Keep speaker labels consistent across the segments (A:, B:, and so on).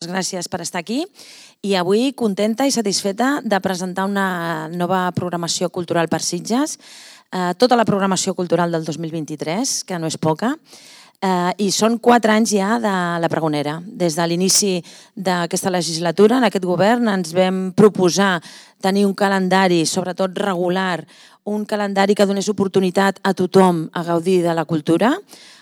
A: Gràcies per estar aquí i avui contenta i satisfeta de presentar una nova programació cultural per Sitges, tota la programació cultural del 2023, que no és poca, i són 4 anys ja de la Pregonera. Des de l'inici d'aquesta legislatura, en aquest govern, ens vam proposar tenir un calendari, sobretot regular, un calendari que donés oportunitat a tothom a gaudir de la cultura,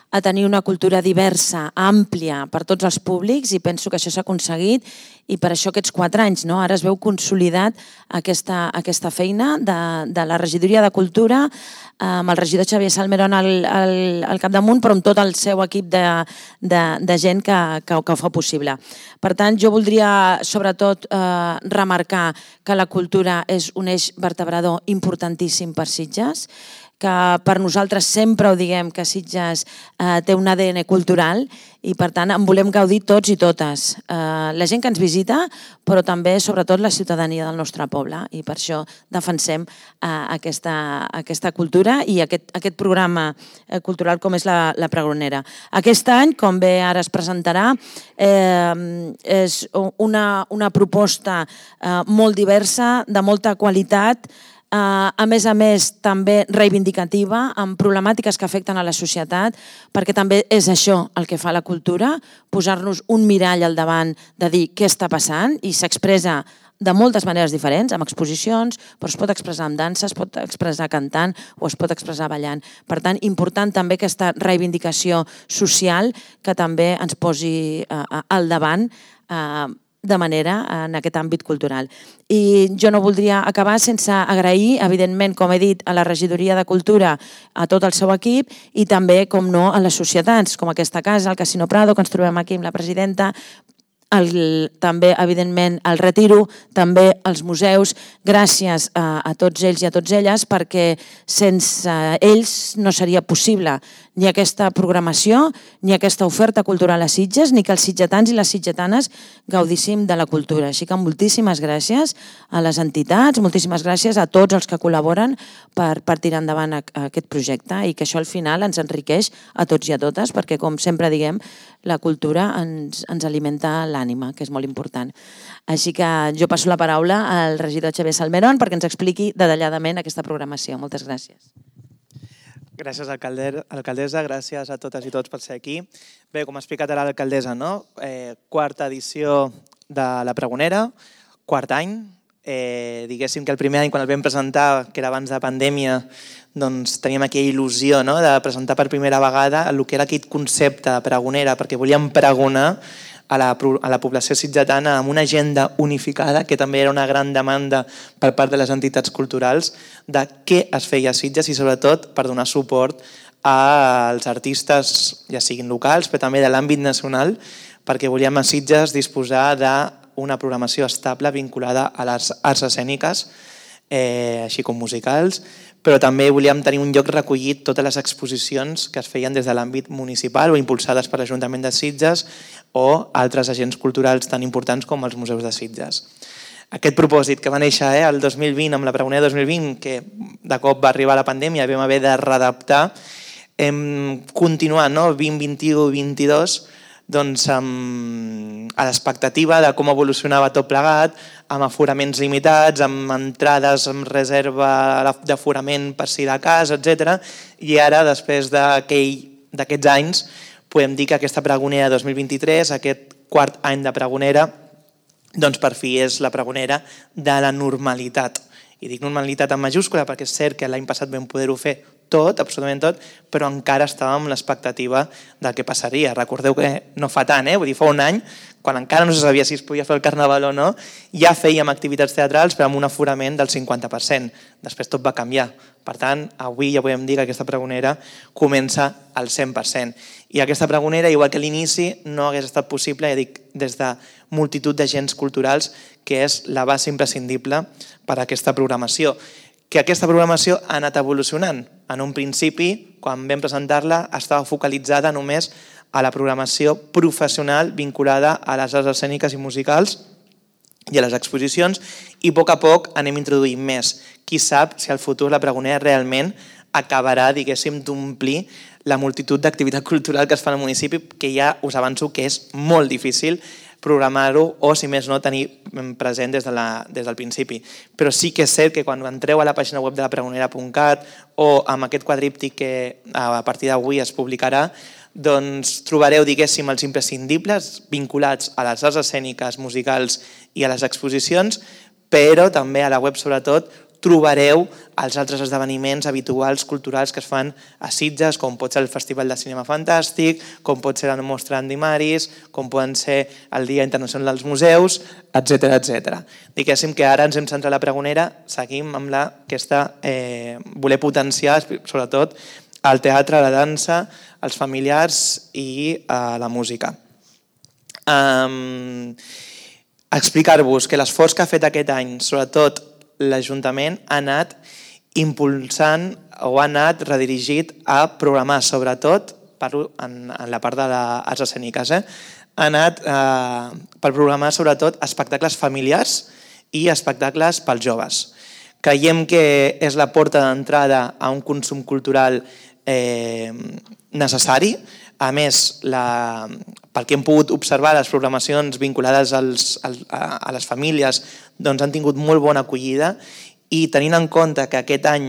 A: a tenir una cultura diversa, àmplia per tots els públics, i penso que això s'ha aconseguit, i per això aquests 4 anys. Ara es veu consolidat aquesta feina de la regidoria de Cultura, amb el regidor Xavier Salmerón al capdamunt, però amb tot el seu equip de gent que ho fa possible. Per tant, jo voldria sobretot remarcar que la cultura és un eix vertebrador importantíssim per Sitges, que per nosaltres sempre ho diguem, que Sitges té un ADN cultural i per tant en volem gaudir tots i totes. La gent que ens visita, però també sobretot la ciutadania del nostre poble, i per això defensem aquesta cultura i aquest programa cultural com és la Pregonera. Aquest any, com bé ara es presentarà, és una proposta molt diversa, de molta qualitat, a més també reivindicativa, amb problemàtiques que afecten a la societat, perquè també és això el que fa la cultura, posar-nos un mirall al davant de dir què està passant, i s'expressa de moltes maneres diferents, amb exposicions, però es pot expressar amb dansa, es pot expressar cantant o es pot expressar ballant. Per tant, important també aquesta reivindicació social que també ens posi al davant de manera en aquest àmbit cultural. I jo no voldria acabar sense agrair, evidentment, com he dit, a la regidoria de Cultura, a tot el seu equip, i també, com no, a les societats, com aquesta casa, el Casino Prado, que ens trobem aquí amb la presidenta, també, evidentment, el Retiro, també els museus. Gràcies a tots ells i a tots elles, perquè sense ells no seria possible ni aquesta programació, ni aquesta oferta cultural a Sitges, ni que els sitgetans i les sitgetanes gaudíssim de la cultura. Així que moltíssimes gràcies a les entitats, moltíssimes gràcies a tots els que col·laboren per tirar endavant aquest projecte, i que això al final ens enriqueix a tots i a totes, perquè, com sempre diguem, la cultura ens alimenta l'ànima, que és molt important. Així que jo passo la paraula al regidor Xavier Salmerón perquè ens expliqui detalladament aquesta programació. Moltes gràcies.
B: Gràcies, alcaldessa. Gràcies a totes i tots per ser aquí. Bé, com ha explicat ara l'alcaldessa, quarta edició de la Pregonera, quart any. Diguéssim que el primer any, quan el vam presentar, que era abans de pandèmia, doncs teníem aquella il·lusió de presentar per primera vegada el que era aquest concepte de Pregonera, perquè volíem pregonar a la població sitgetana amb una agenda unificada, que també era una gran demanda per part de les entitats culturals, de què es feia a Sitges, i sobretot per donar suport als artistes, ja siguin locals, però també de l'àmbit nacional, perquè volíem a Sitges disposar d'una programació estable vinculada a les arts escèniques, així com musicals, però també volíem tenir un lloc recollit totes les exposicions que es feien des de l'àmbit municipal o impulsades per l'Ajuntament de Sitges o altres agents culturals tan importants com els museus de Sitges. Aquest propòsit que va néixer el 2020, amb la Pregonera 2020, que de cop va arribar la pandèmia i vam haver de readaptar, hem continuat 2021-2022 a l'expectativa de com evolucionava tot plegat, amb aforaments limitats, amb entrades amb reserva d'aforament per si de cas, etc. I ara, després d'aquests anys, podem dir que aquesta Pregonera 2023, aquest quart any de Pregonera, doncs per fi és la Pregonera de la normalitat. I dic normalitat en majúscula perquè és cert que l'any passat vam poder-ho fer tot, absolutament tot, però encara estàvem amb l'expectativa del que passaria. Recordeu que no fa tant, vull dir, fa un any, quan encara no se sabia si es podia fer el Carnaval o no, ja fèiem activitats teatrals però amb un aforament del 50%. Després tot va canviar. Per tant, avui ja podem dir que aquesta Pregonera comença al 100%. I aquesta Pregonera, igual que a l'inici, no hagués estat possible, ja dic, des de multitud d'agents culturals, que és la base imprescindible per a aquesta programació. Que aquesta programació ha anat evolucionant. En un principi, quan vam presentar-la, estava focalitzada només a la programació professional vinculada a les arts escèniques i musicals i a les exposicions, i a poc anem introduint més. Qui sap si al futur la Pregonera realment acabarà, diguéssim, d'omplir la multitud d'activitat cultural que es fa al municipi, que ja us avanço que és molt difícil programar-ho o, si més no, tenir present des del principi. Però sí que és cert que quan entreu a la pàgina web de la pregonera.cat o amb aquest quadríptic que a partir d'avui es publicarà, doncs trobareu, diguéssim, els imprescindibles vinculats a les arts escèniques, musicals i a les exposicions, però també a la web, sobretot, trobareu els altres esdeveniments habituals culturals que es fan a Sitges, com pot ser el Festival de Cinema Fantàstic, com pot ser la Mostra Andy Maris, com poden ser el Dia Internacional dels Museus, etc. Diguéssim que ara ens hem centrat a la pregonera, seguim amb voler potenciar, sobretot, el teatre, la dansa, els familiars i la música. Explicar-vos que l'esforç que ha fet aquest any, sobretot l'Ajuntament, ha anat impulsant o ha anat redirigit a programar, sobretot, parlo en la part de les arts escèniques, ha anat per programar sobretot espectacles familiars i espectacles pels joves. Creiem que és la porta d'entrada a un consum cultural necessari. A més, pel que hem pogut observar, les programacions vinculades a les famílies han tingut molt bona acollida i tenint en compte que aquest any,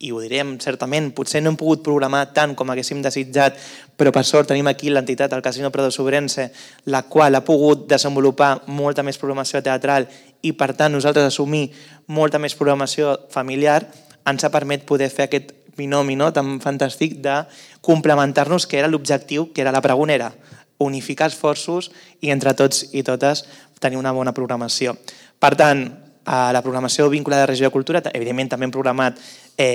B: i ho direm certament, potser no hem pogut programar tant com haguéssim desitjat, però per sort tenim aquí l'entitat, el Casino Prado Sobrense, la qual ha pogut desenvolupar molta més programació teatral i per tant nosaltres assumir molta més programació familiar, ens ha permès poder fer aquest binomi tan fantàstic de complementar-nos, que era l'objectiu, que era la pregonera, unificar esforços i entre tots i totes tenir una bona programació. Per tant, la programació vinculada a la regió de cultura, evidentment també hem programat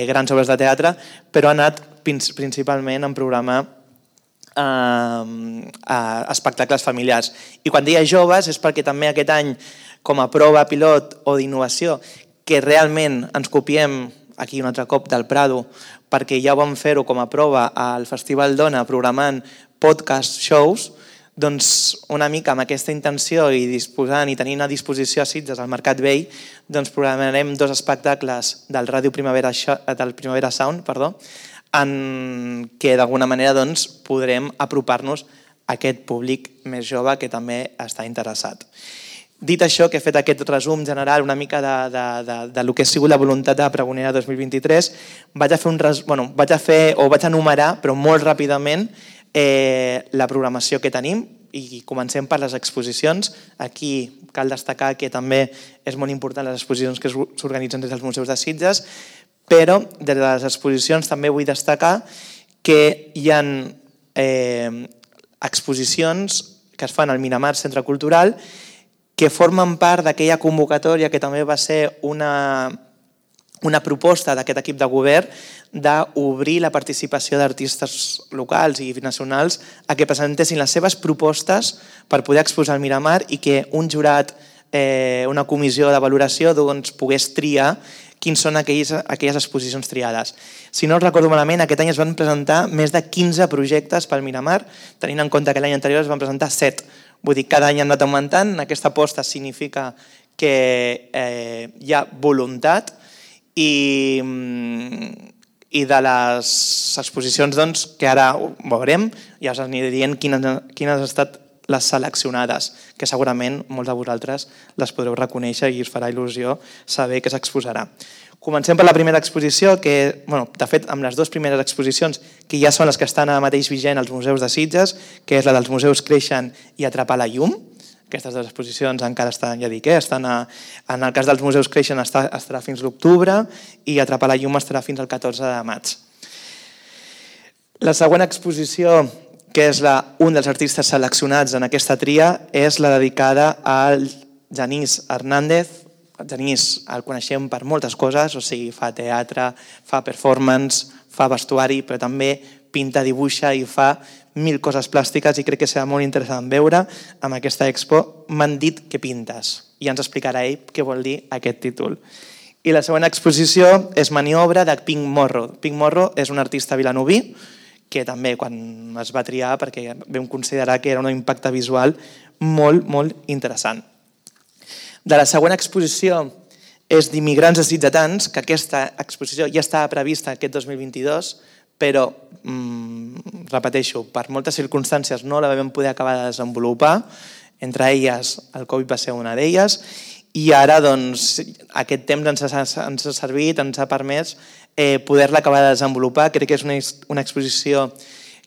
B: grans obres de teatre, però ha anat principalment en programar espectacles familiars. I quan deia joves és perquè també aquest any, com a prova pilot o d'innovació, que realment ens copiem aquí un altre cop del Prado, perquè ja vam fer-ho com a prova al Festival Dona programant podcast shows, doncs una mica amb aquesta intenció i disposant i tenint a disposició a Sitges al Mercat Vell, doncs programarem 2 espectacles del Ràdio Primavera Sound, en què d'alguna manera podrem apropar-nos a aquest públic més jove que també està interessat. Dit això, que he fet aquest resum general una mica del que ha sigut la voluntat de la pregonera 2023, vaig enumerar, però molt ràpidament, la programació que tenim i comencem per les exposicions. Aquí cal destacar que també és molt important les exposicions que s'organitzen des dels museus de Sitges, però des de les exposicions també vull destacar que hi ha exposicions que es fan al Miramar Centre Cultural que formen part d'aquella convocatòria que també va ser una proposta d'aquest equip de govern d'obrir la participació d'artistes locals i nacionals a que presentessin les seves propostes per poder exposar al Miramar i que un jurat, una comissió de valoració, pogués triar quins són aquelles exposicions triades. Si no recordo malament, aquest any es van presentar més de 15 projectes pel Miramar, tenint en compte que l'any anterior es van presentar 7. Vull dir, cada any ha anat augmentant. Aquesta aposta significa que hi ha voluntat i de les exposicions que ara ho veurem, ja us aniré dient quines han estat les seleccionades, que segurament molts de vosaltres les podreu reconèixer i us farà il·lusió saber que s'exposarà. Comencem per la primera exposició, que, de fet, amb les 2 primeres exposicions, que ja són les que estan ara mateix vigent als museus de Sitges, que és la dels museus Creixen i Atrapar la llum. Aquestes 2 exposicions encara estan, ja dic, en el cas dels museus Creixen estarà fins l'octubre i Atrapar la llum estarà fins al 14 de maig. La següent exposició, que és un dels artistes seleccionats en aquesta tria, és la dedicada al Genís Hernández. El Genís el coneixem per moltes coses, o sigui, fa teatre, fa performance, fa vestuari, però també pinta, dibuixa i fa 1000 coses plàstiques i crec que serà molt interessant veure amb aquesta expo. M'han dit que pintes i ens explicarà ell què vol dir aquest títol. I la següent exposició és Maniobra de Pink Morro. Pink Morro és un artista vilanoví que també quan es va triar perquè vam considerar que era un impacte visual molt, molt interessant. De la següent exposició és d'Immigrants Sitgetans, que aquesta exposició ja estava prevista aquest 2022, però, repeteixo, per moltes circumstàncies no la vam poder acabar de desenvolupar Entre elles, el Covid va ser una d'elles, i ara aquest temps ens ha servit, ens ha permès poder-la acabar de desenvolupar. Crec que és una exposició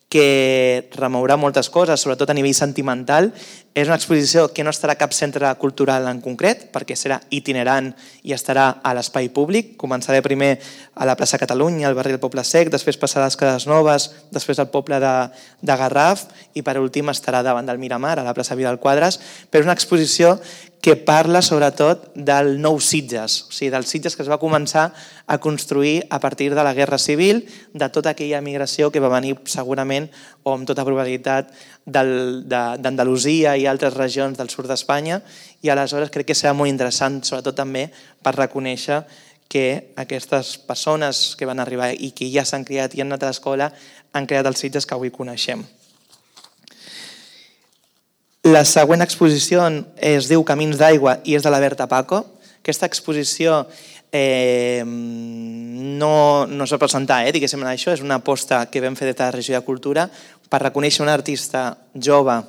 B: que remourà moltes coses, sobretot a nivell sentimental. És una exposició que no estarà a cap centre cultural en concret, perquè serà itinerant i estarà a l'espai públic. Començaré primer a la plaça Catalunya, al barri del Poble Sec, després passarà a les Cases Noves, després al poble de Garraf i per últim estarà davant del Miramar, a la plaça Vidal Quadras. Però és una exposició que parla sobretot del nou Sitges, o sigui, del Sitges que es va començar a construir a partir de la Guerra Civil, de tota aquella migració que va venir segurament, o amb tota probabilitat, d'Andalusia i altres regions del sud d'Espanya, i aleshores crec que serà molt interessant, sobretot també per reconèixer que aquestes persones que van arribar i que ja s'han criat i han anat a l'escola han creat els Sitges que avui coneixem. La següent exposició es diu Camins d'aigua i és de la Berta Paco. Aquesta exposició no es va presentar, diguéssim, això. És una aposta que vam fer des de la Regió de Cultura per reconèixer un artista jove,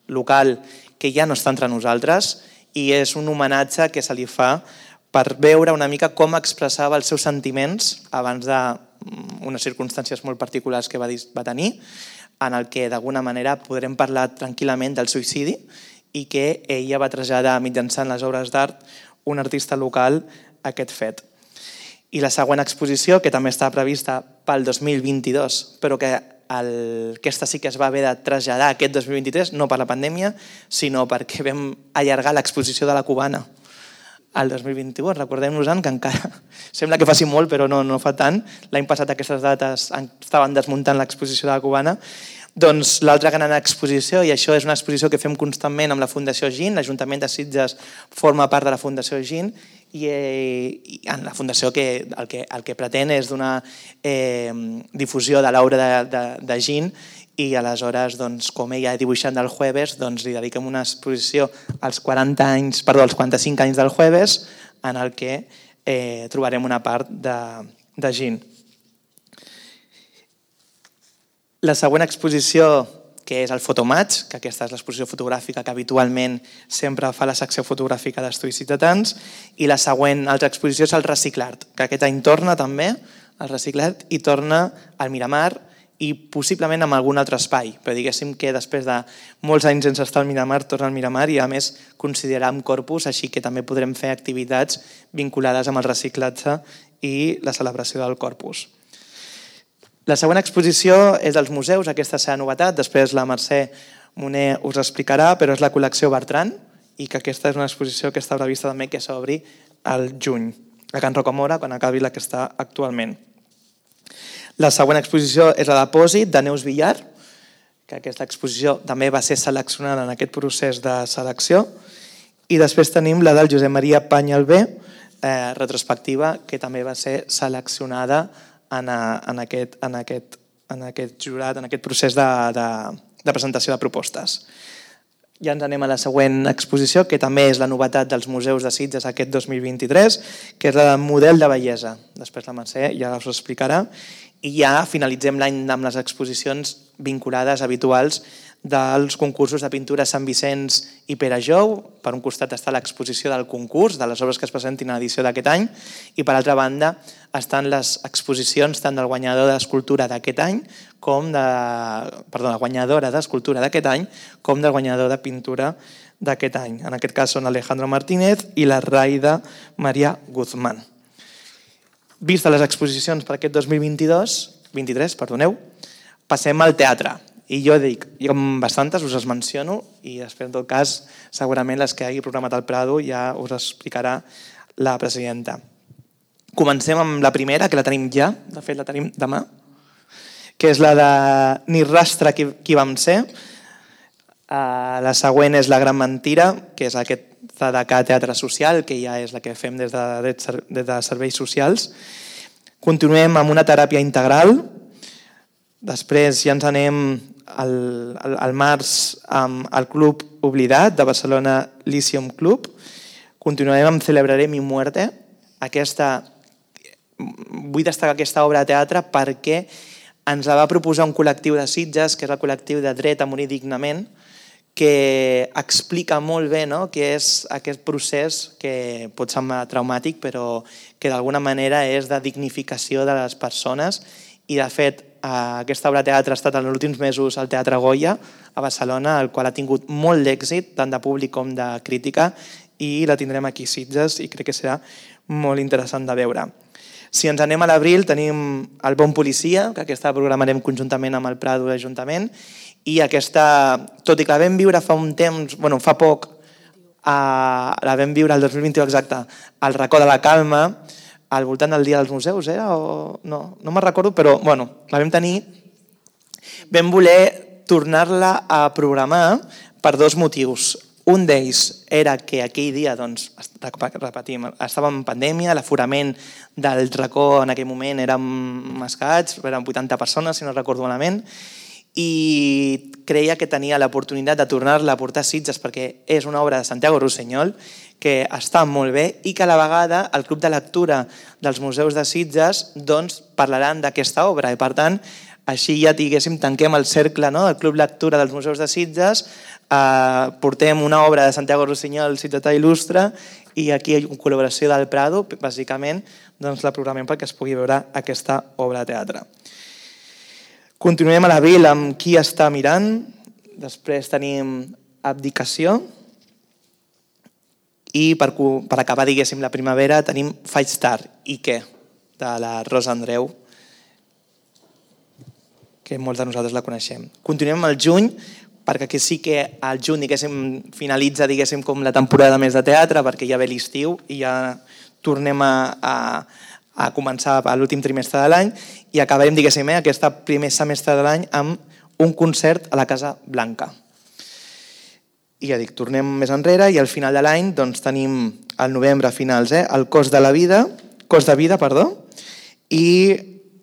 B: local, que ja no està entre nosaltres, i és un homenatge que se li fa per veure una mica com expressava els seus sentiments abans d'unes circumstàncies molt particulars que va tenir, en el que d'alguna manera podrem parlar tranquil·lament del suïcidi i que ella va traslladar mitjançant les obres d'art un artista local aquest fet. I la següent exposició, que també està prevista pel 2022, però que aquesta sí que es va haver de traslladar aquest 2023, no per la pandèmia, sinó perquè vam allargar l'exposició de la Cubana al 2021. Recordem-nos-en que encara sembla que faci molt, però no fa tant. L'any passat aquestes dates estaven desmuntant l'exposició de la Cubana. Doncs l'altra gran exposició, i això és una exposició que fem constantment amb la Fundació GIN, l'Ajuntament de Sitges forma part de la Fundació GIN, i en la Fundació el que pretén és donar difusió de l'obra de GIN, i aleshores, com ella dibuixant del Jueves, li dediquem una exposició als 45 anys del Jueves, en el que trobarem una part de GIN. La següent exposició, que és el Fotomatch, que aquesta és l'exposició fotogràfica que habitualment sempre fa la secció fotogràfica d'estudis ciutadans, i la següent altra exposició és el Reciclart, que aquest any torna també, el Reciclart, i torna al Miramar, i possiblement en algun altre espai, però diguéssim que després de molts anys sense estar al Miramar, torna al Miramar i a més consideram Corpus, així que també podrem fer activitats vinculades amb el reciclatge i la celebració del Corpus. La següent exposició és dels museus, aquesta serà novetat, després la Mercè Moner us explicarà, però és la col·lecció Bertran, i que aquesta és una exposició que està prevista també que s'obri al juny, a Can Rocamora, quan acabi la que està actualment. La següent exposició és la Depòsit, de Neus Villar, que aquesta exposició també va ser seleccionada en aquest procés de selecció. I després tenim la del Josep Maria Panyalbé, retrospectiva, que també va ser seleccionada en aquest jurat, en aquest procés de presentació de propostes. Ja ens anem a la següent exposició, que també és la novetat dels museus de Sitges aquest 2023, que és la del model de bellesa. Després la Mercè ja us ho explicarà. I ja finalitzem l'any amb les exposicions vinculades habituals dels concursos de pintura Sant Vicenç i Pere Jou. Per un costat està l'exposició del concurs, de les obres que es presentin a l'edició d'aquest any, i per altra banda estan les exposicions tant del guanyador d'escultura d'aquest any, la guanyadora d'escultura d'aquest any, com del guanyador de pintura d'aquest any. En aquest cas són Alejandro Martínez i la Raida Maria Guzmán. Vista les exposicions per aquest 2023, passem al teatre. I jo dic, jo amb bastantes us les menciono i després en tot cas segurament les que hagi programat al Prado ja us explicarà la presidenta. Comencem amb la primera, que la tenim ja, de fet la tenim demà, que és la de Ni rastre qui vam ser. La següent és La gran mentira, que és aquesta de teatre social, que ja és la que fem des de serveis socials. Continuem amb una teràpia integral. Després ja ens anem al març amb el Club Oblidat de Barcelona Lyceum Club. Continuarem amb Celebraré mi muerte. Vull destacar aquesta obra de teatre perquè ens la va proposar un col·lectiu de Sitges, que és el col·lectiu de Dret a morir dignament, que explica molt bé, no?, què és aquest procés que pot semblar traumàtic, però que d'alguna manera és de dignificació de les persones. I, de fet, aquesta obra de teatre ha estat en els últims mesos al Teatre Goya, a Barcelona, el qual ha tingut molt d'èxit, tant de públic com de crítica, i la tindrem aquí a Sitges i crec que serà molt interessant de veure. Si ens anem a l'abril, tenim El bon policia, que aquesta programarem conjuntament amb el Prado i l'Ajuntament, i aquesta, tot i que la vam viure fa un temps, fa poc, la vam viure el 2021 exacte, al Racó de la Calma, al voltant del Dia dels Museus, o no me'n recordo, però la vam tenir. Vam voler tornar-la a programar per dos motius. Un d'ells era que aquell dia, repetim, estàvem en pandèmia, l'aforament del Racó en aquell moment érem escats, eren 80 persones, si no recordo malament, i creia que tenia l'oportunitat de tornar-la a portar a Sitges perquè és una obra de Santiago Rossinyol que està molt bé i que a la vegada el Club de Lectura dels Museus de Sitges parlaran d'aquesta obra i per tant així ja tanquem el cercle del Club Lectura dels Museus de Sitges, portem una obra de Santiago Rossinyol, Sitgetà il·lustre, i aquí hi ha una col·laboració del Prado, bàsicament la programem perquè es pugui veure aquesta obra de teatre. Continuem a l'abril amb Qui està mirant, després tenim Abdicació i per acabar, la primavera, tenim Faig tard i què, de la Rosa Andreu, que molts de nosaltres la coneixem. Continuem al juny, perquè aquí sí que al juny finalitza com la temporada més de teatre, perquè ja ve l'estiu i ja tornem a començar a l'últim trimestre de l'any i acabarem, aquest primer semestre de l'any amb un concert a la Casa Blanca. I ja dic, tornem més enrere i al final de l'any tenim al novembre finals el Cos de vida, i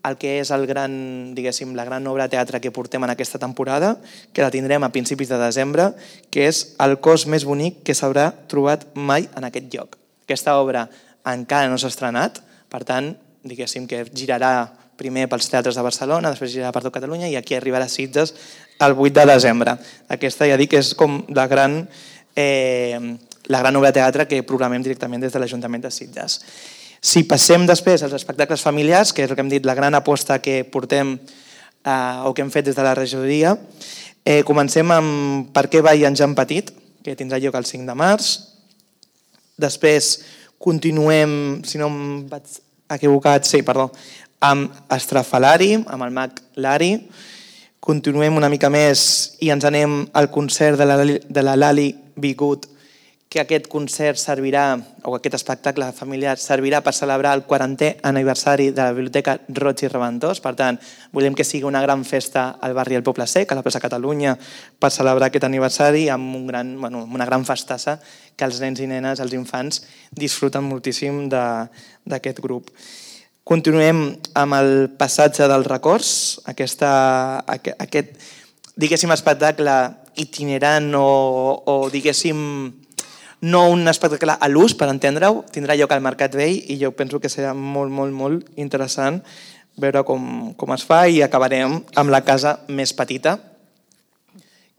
B: el que és la gran obra de teatre que portem en aquesta temporada, que la tindrem a principis de desembre, que és El cos més bonic que s'haurà trobat mai en aquest lloc. Aquesta obra encara no s'ha estrenat, per tant, que girarà primer pels teatres de Barcelona, després girarà per tot Catalunya i aquí arribarà a Sitges el 8 de desembre. Aquesta ja dic que és com la gran obra de teatre que programem directament des de l'Ajuntament de Sitges. Si passem després als espectacles familiars, que és el que hem dit, la gran aposta que portem o que hem fet des de la regidoria, comencem amb Per què balla en Jan Petit, que tindrà lloc el 5 de març. Després continuem, si no em vaig equivocat, amb Estrafalari, amb el mag Lari. Continuem una mica més i ens anem al concert de la Lali Bigut, que aquest concert servirà, o aquest espectacle familiar servirà per celebrar el 40è aniversari de la Biblioteca Roig i Reventós. Per tant, volem que sigui una gran festa al barri del Poble Sec, a la plaça Catalunya, per celebrar aquest aniversari amb una gran festassa que els nens i nenes, els infants, disfruten moltíssim d'aquest grup. Continuem amb el Passatge dels Records, aquest espectacle itinerant o no un espectacle a l'ús, per entendre-ho, tindrà lloc al Mercat Vell i jo penso que serà molt, molt, molt interessant veure com es fa i acabarem amb La casa més petita,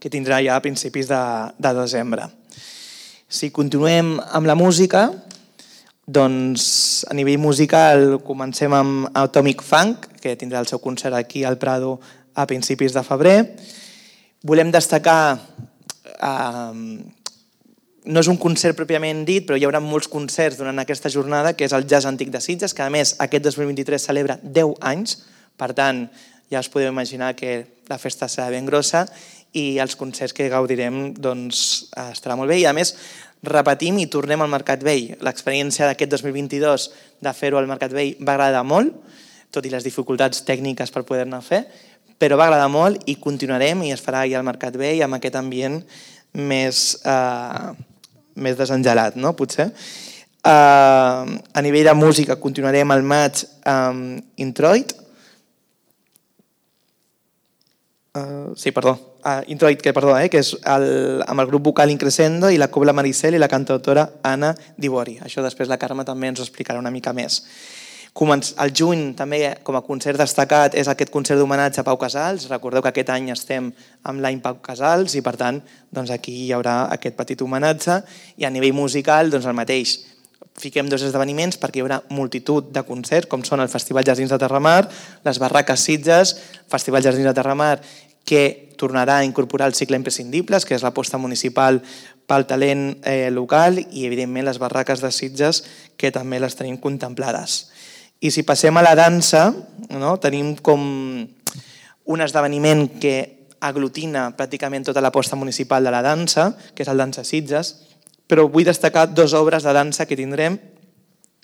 B: que tindrà ja a principis de desembre. Si continuem amb la música, doncs a nivell musical comencem amb Atomic Funk, que tindrà el seu concert aquí al Prado a principis de febrer. Volem destacar no és un concert pròpiament dit, però hi haurà molts concerts durant aquesta jornada, que és el Jazz Antic de Sitges, que a més aquest 2023 celebra 10 anys, per tant ja us podeu imaginar que la festa serà ben grossa i els concerts que gaudirem estarà molt bé. I a més repetim i tornem al Mercat Vell. L'experiència d'aquest 2022 de fer-ho al Mercat Vell va agradar molt, tot i les dificultats tècniques per poder-ne fer, però va agradar molt i continuarem i es farà allà al Mercat Vell amb aquest ambient més desengelat, no? Potser. A nivell de música continuarem al maig amb Introit. Introit, que és amb el grup vocal Increscendo i la Cobla Maricel i la cantautora Anna Dibori. Això després la Carme també ens ho explicarà una mica més. Al juny, també, com a concert destacat, és aquest concert d'homenatge a Pau Casals. Recordeu que aquest any estem amb l'any Pau Casals i, per tant, aquí hi haurà aquest petit homenatge. I a nivell musical, el mateix. Fiquem 2 esdeveniments perquè hi haurà multitud de concerts, com són el Festival Jardins de Terramar, les Barraques Sitges, Festival Jardins de Terramar, que tornarà a incorporar el cicle Imprescindibles, que és l'aposta municipal pel talent local, i, evidentment, les Barraques de Sitges, que també les tenim contemplades. I si passem a la dansa, tenim com un esdeveniment que aglutina pràcticament tota l'aposta municipal de la dansa, que és el Dansa Sitges, però vull destacar 2 obres de dansa que tindrem,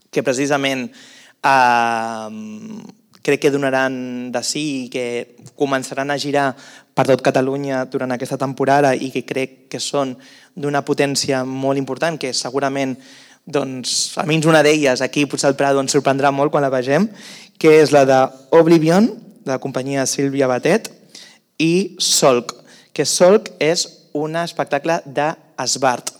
B: que precisament crec que donaran de sí i que començaran a girar per tot Catalunya durant aquesta temporada i que crec que són d'una potència molt important, que segurament, almenys una d'elles, aquí potser el Prado ens sorprendrà molt quan la vegem, que és la d'Oblivion, de la companyia Sílvia Batet, i Solc, que Solc és un espectacle d'esbart.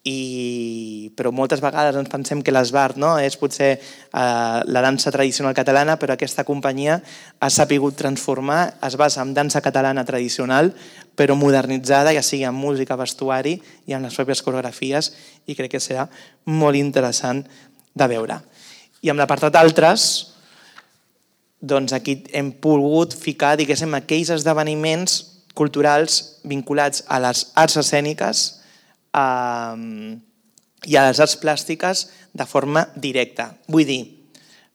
B: Però moltes vegades ens pensem que l'esbart és potser la dansa tradicional catalana, però aquesta companyia ha sabut transformar, es basa en dansa catalana tradicional, però modernitzada, ja sigui amb música, vestuari i amb les pròpies coreografies, i crec que serà molt interessant de veure. I amb l'apartat d'altres, aquí hem pogut ficar, diguéssim, aquells esdeveniments culturals vinculats a les arts escèniques i a les arts plàstiques de forma directa. Vull dir,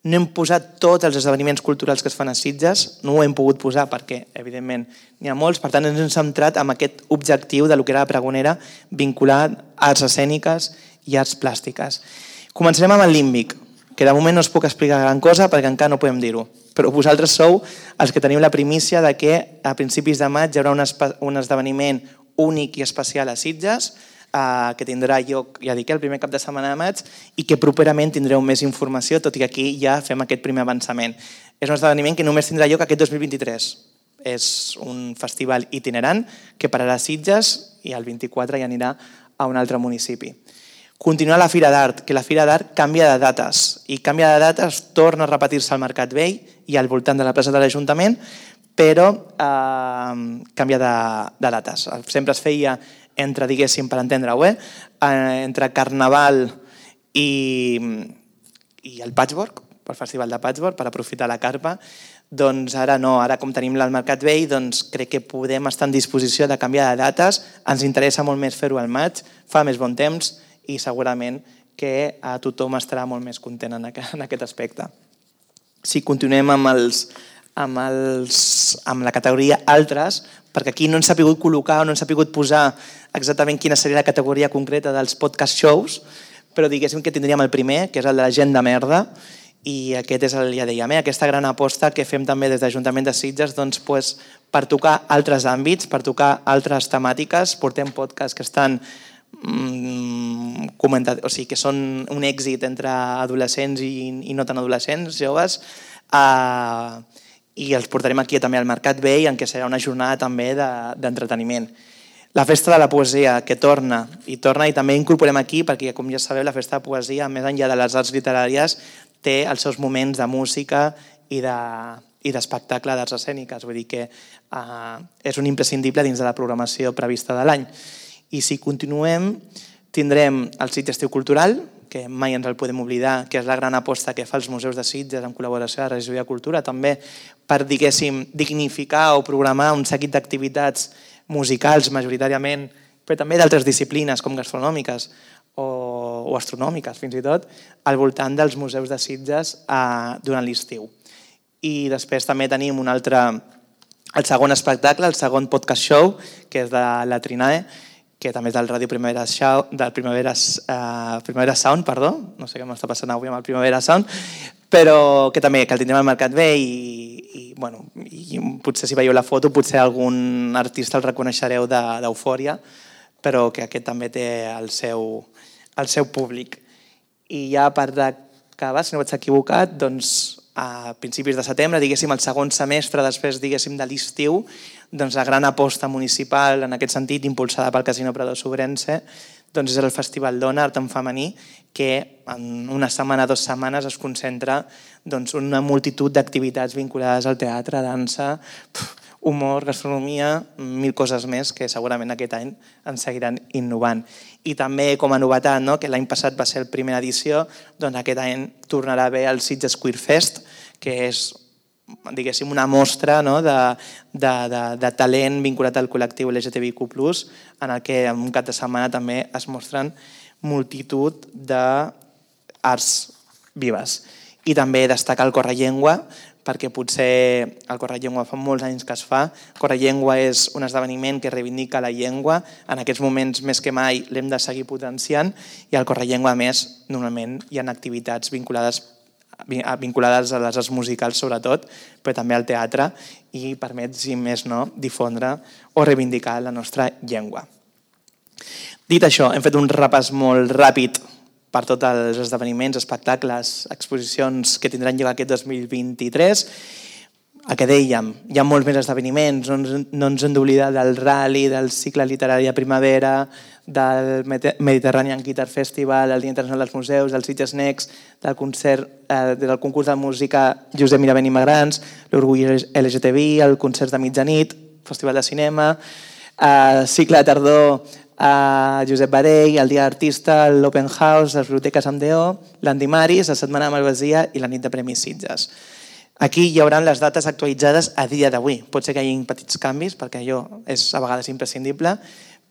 B: no hem posat tots els esdeveniments culturals que es fan a Sitges, no ho hem pogut posar perquè, evidentment, n'hi ha molts, per tant ens hem centrat en aquest objectiu de lo que era la pregonera vinculat a arts escèniques i arts plàstiques. Començarem amb el Límbic, que de moment no us puc explicar gran cosa perquè encara no podem dir-ho, però vosaltres sou els que teniu la primícia de que a principis de maig hi haurà un esdeveniment únic i especial a Sitges, que tindrà lloc, ja dic, el primer cap de setmana de maig i que properament tindreu més informació, tot i que aquí ja fem aquest primer avançament. És un esdeveniment que només tindrà lloc aquest 2023. És un festival itinerant que pararà a Sitges i el 24 ja anirà a un altre municipi. Continuar la Fira d'Art, que la Fira d'Art canvia de dates i canvia de dates, torna a repetir-se al Mercat Vell i al voltant de la plaça de l'Ajuntament, però canvia de dates. Sempre es feia entre, diguéssim, per entendre-ho, entre Carnaval i el Patchwork, pel Festival de Patchwork, per aprofitar la carpa. Doncs ara no, ara com tenim el Mercat Vell, doncs crec que podem estar en disposició de canviar de dates. Ens interessa molt més fer-ho al maig, fa més bon temps i segurament que tothom estarà molt més content en aquest aspecte. Si continuem amb la categoria altres, perquè aquí no ens ha pogut col·locar o no ens ha pogut posar exactament quina seria la categoria concreta dels podcast shows, però diguéssim que tindríem el primer, que és el de la gent de merda, i aquest és ja dèiem, aquesta gran aposta que fem també des de l'Ajuntament de Sitges per tocar altres àmbits, per tocar altres temàtiques. Portem podcasts que estan comentats, o sigui, que són un èxit entre adolescents i no tan adolescents, joves, i els portarem aquí també al Mercat Vell, en què serà una jornada també d'entreteniment. La Festa de la Poesia, que torna i també incorporem aquí, perquè com ja sabeu, la Festa de la Poesia, més enllà de les arts literàries, té els seus moments de música i d'espectacle d'arts escèniques. Vull dir que és un imprescindible dins de la programació prevista de l'any. I si continuem, tindrem el Sitges Estiu Cultural, que mai ens el podem oblidar, que és la gran aposta que fa els museus de Sitges en col·laboració amb la Regidoria de Cultura, també per, diguéssim, dignificar o programar un seguit d'activitats musicals majoritàriament, però també d'altres disciplines com gastronòmiques o astronòmiques, fins i tot, al voltant dels museus de Sitges durant l'estiu. I després també tenim el segon espectacle, el segon podcast show, que és de la Trinae, que també és del Ràdio Primavera Sound, no sé què m'està passant avui amb el Primavera Sound, però que també el tindrem al Mercat Vell i potser si veieu la foto potser algun artista el reconeixereu d'Eufòria, però que aquest també té el seu públic. I ja per acabar, si no vaig equivocat, doncs a principis de setembre, diguéssim el segon semestre després diguéssim de l'estiu, doncs la gran aposta municipal en aquest sentit, impulsada pel Casino Prado Sobrense, doncs és el Festival Dona, Art en Femení, que en una setmana, 2 setmanes es concentra una multitud d'activitats vinculades al teatre, dansa, humor, gastronomia, 1000 coses més que segurament aquest any ens seguiran innovant. I també com a novetat, que l'any passat va ser la primera edició, doncs aquest any tornarà a haver el Sitges Queer Fest, que és diguéssim una mostra de talent vinculat al col·lectiu LGTBIQ+, en el que en un cap de setmana també es mostren multitud d'arts vives. I també destacar el Correllengua, perquè potser el Correllengua fa molts anys que es fa. Correllengua és un esdeveniment que reivindica la llengua. En aquests moments, més que mai, l'hem de seguir potenciant i al Correllengua, a més, normalment hi ha activitats vinculades a les arts musicals, sobretot, però també al teatre i permet, si més no, difondre o reivindicar la nostra llengua. Dit això, hem fet un repàs molt ràpid per tots els esdeveniments, espectacles, exposicions que tindran lloc aquest 2023. El que dèiem, hi ha molts més esdeveniments, no ens hem d'oblidar del Rally, del cicle literari a primavera, del Mediterranean Guitar Festival, del Dia Internacional dels Museus, del Sitges Next, del concurs de música Josep Miravent i Magrans, l'Orgull LGTBI, el concert de mitjanit, Festival de Cinema, cicle de tardor a Josep Barell, el Dia d'Artista, l'Open House, les biblioteques amb DO, l'Andimaris, la Setmana de Malvasia i la Nit de Premis Sitges. Aquí hi haurà les dates actualitzades a dia d'avui. Pot ser que hi hagi petits canvis, perquè allò és a vegades imprescindible,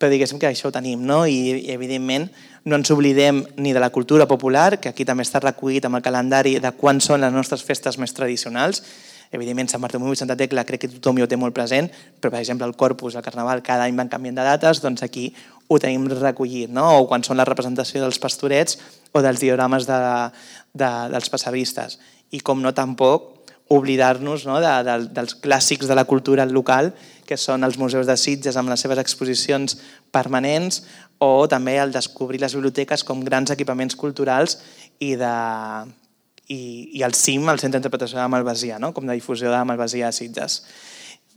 B: però diguéssim que això ho tenim, no? I evidentment no ens oblidem ni de la cultura popular, que aquí també està recollit amb el calendari de quan són les nostres festes més tradicionals. Evidentment, Sant Bartomeu i Santa Tecla crec que tothom hi ho té molt present, però per exemple el Corpus, el Carnaval, cada any van canviant de dates, doncs aquí ho tenim recollit, no? O quan són la representació dels pastorets o dels diorames dels passadistes. I com no tampoc oblidar-nos dels clàssics de la cultura local, que són els museus de Sitges amb les seves exposicions permanents, o també el descobrir les biblioteques com grans equipaments culturals i el CIM, el Centre d'Interpretació de la Malvasia, com de difusió de la Malvasia a Sitges.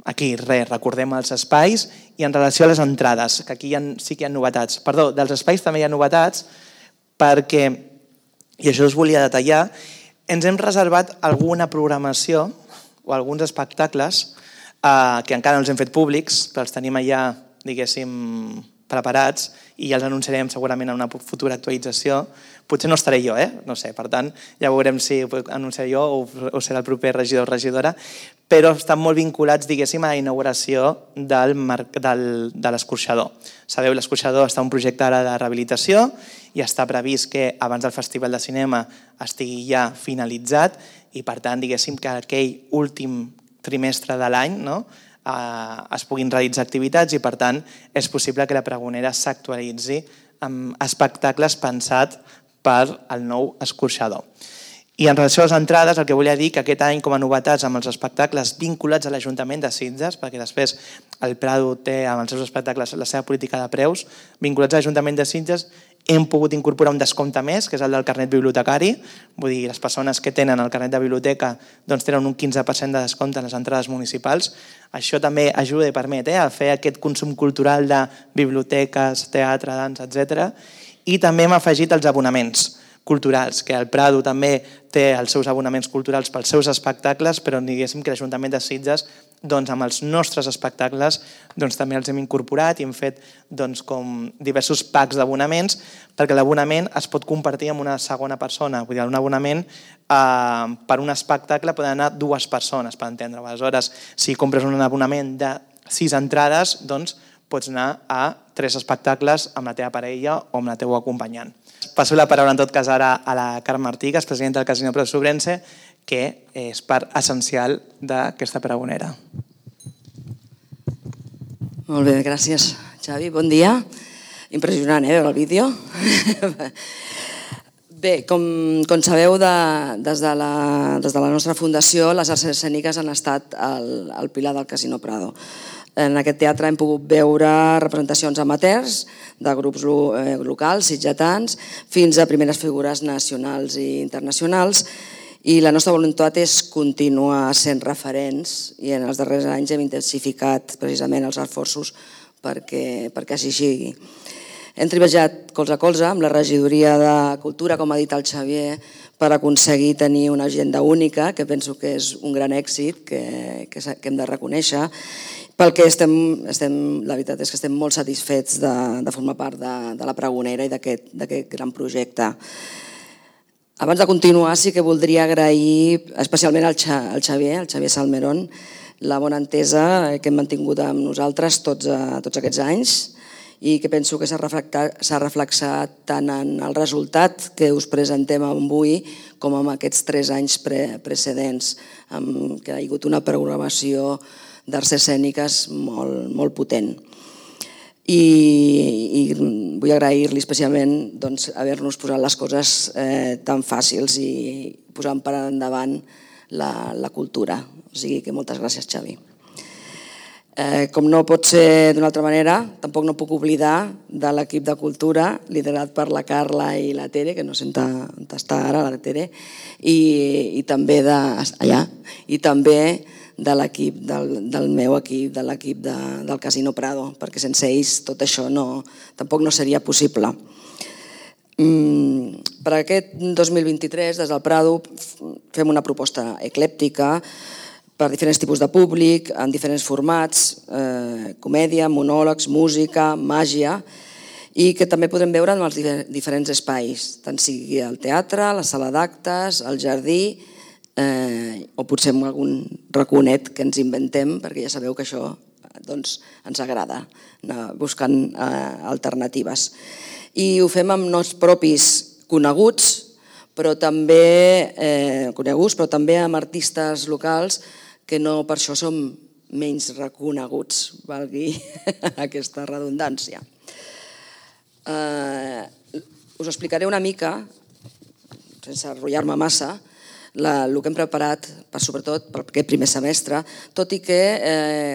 B: Aquí, recordem els espais i en relació a les entrades, que aquí sí que hi ha novetats. Perdó, dels espais també hi ha novetats perquè, i això us volia detallar, ens hem reservat alguna programació o alguns espectacles que encara no els hem fet públics, però els tenim allà, diguéssim, preparats i ja els anunciarem segurament en una futura actualització. Potser no estaré jo, no sé, per tant, ja veurem si ho anunciaré jo o serà el proper regidor o regidora, però estan molt vinculats, diguéssim, a la inauguració de l'escorxador. Sabeu, l'escorxador està en un projecte ara de rehabilitació i està previst que abans del Festival de Cinema estigui ja finalitzat i, per tant, diguéssim que aquell últim trimestre de l'any es puguin realitzar activitats i, per tant, és possible que la pregonera s'actualitzi amb espectacles pensats per al nou escorxador. I en relació a les entrades, el que volia dir que aquest any, com a novetats amb els espectacles vinculats a l'Ajuntament de Sitges, perquè després el Prado té amb els seus espectacles la seva política de preus, vinculats a l'Ajuntament de Sitges, hem pogut incorporar un descompte més, que és el del carnet bibliotecari. Vull dir, les persones que tenen el carnet de biblioteca tenen un 15% de descompte en les entrades municipals. Això també ajuda i permet a fer aquest consum cultural de biblioteques, teatre, dansa, etc. I també hem afegit els abonaments culturals, que el Prado també té els seus abonaments culturals pels seus espectacles, però diguéssim que l'Ajuntament de Sitges amb els nostres espectacles també els hem incorporat i hem fet com diversos packs d'abonaments perquè l'abonament es pot compartir amb una segona persona. Vull dir, un abonament per un espectacle poden anar 2 persones, per entendre. Aleshores, si compres un abonament de 6 entrades, pots anar a 3 espectacles amb la teva parella o amb la teva acompanyant. Passo la paraula en tot cas ara a la Carme Martí, que és presidenta del Casino Prado Sobrense, que és part essencial d'aquesta pregonera.
C: Molt bé, gràcies, Xavi. Bon dia. Impressionant, veure el vídeo. Bé, com sabeu, des de la nostra fundació, les arts escèniques han estat el pilar del Casino Prado. En aquest teatre hem pogut veure representacions amateurs de grups locals, sitgetans, fins a primeres figures nacionals i internacionals, i la nostra voluntat és continuar sent referents i en els darrers anys hem intensificat precisament els esforços perquè així sigui. Hem treballat colze a colze amb la regidoria de Cultura, com ha dit el Xavier, per aconseguir tenir una agenda única, que penso que és un gran èxit que hem de reconèixer, pel que la veritat és que estem molt satisfets de formar part de la Pregonera i d'aquest gran projecte. Abans de continuar, sí que voldria agrair especialment al Xavier Salmerón, la bona entesa que hem mantingut amb nosaltres tots aquests anys i que penso que s'ha reflexat tant en el resultat que us presentem avui com en aquests 3 anys precedents, que ha hagut una programació d'arts escèniques molt potent. I vull agrair-li especialment haver-nos posat les coses tan fàcils i posant per endavant la cultura. O sigui que moltes gràcies, Xavi. Com no pot ser d'una altra manera, tampoc no puc oblidar de l'equip de cultura liderat per la Carla i la Tere, que no sé on està ara la Tere, i també de l'equip, del meu equip, de l'equip del Casino Prado, perquè sense ells tot això tampoc no seria possible. Per aquest 2023, des del Prado, fem una proposta eclèptica per diferents tipus de públic, en diferents formats, comèdia, monòlegs, música, màgia, i que també podrem veure en els diferents espais, tant sigui el teatre, la sala d'actes, el jardí, o potser amb algun raconet que ens inventem, perquè ja sabeu que això ens agrada, anar buscant alternatives. I ho fem amb noms propis coneguts, però també amb artistes locals que no per això som menys reconeguts, valgui aquesta redundància. Us explicaré una mica, sense enrotllar-me massa, el que hem preparat, sobretot per aquest primer semestre, tot i que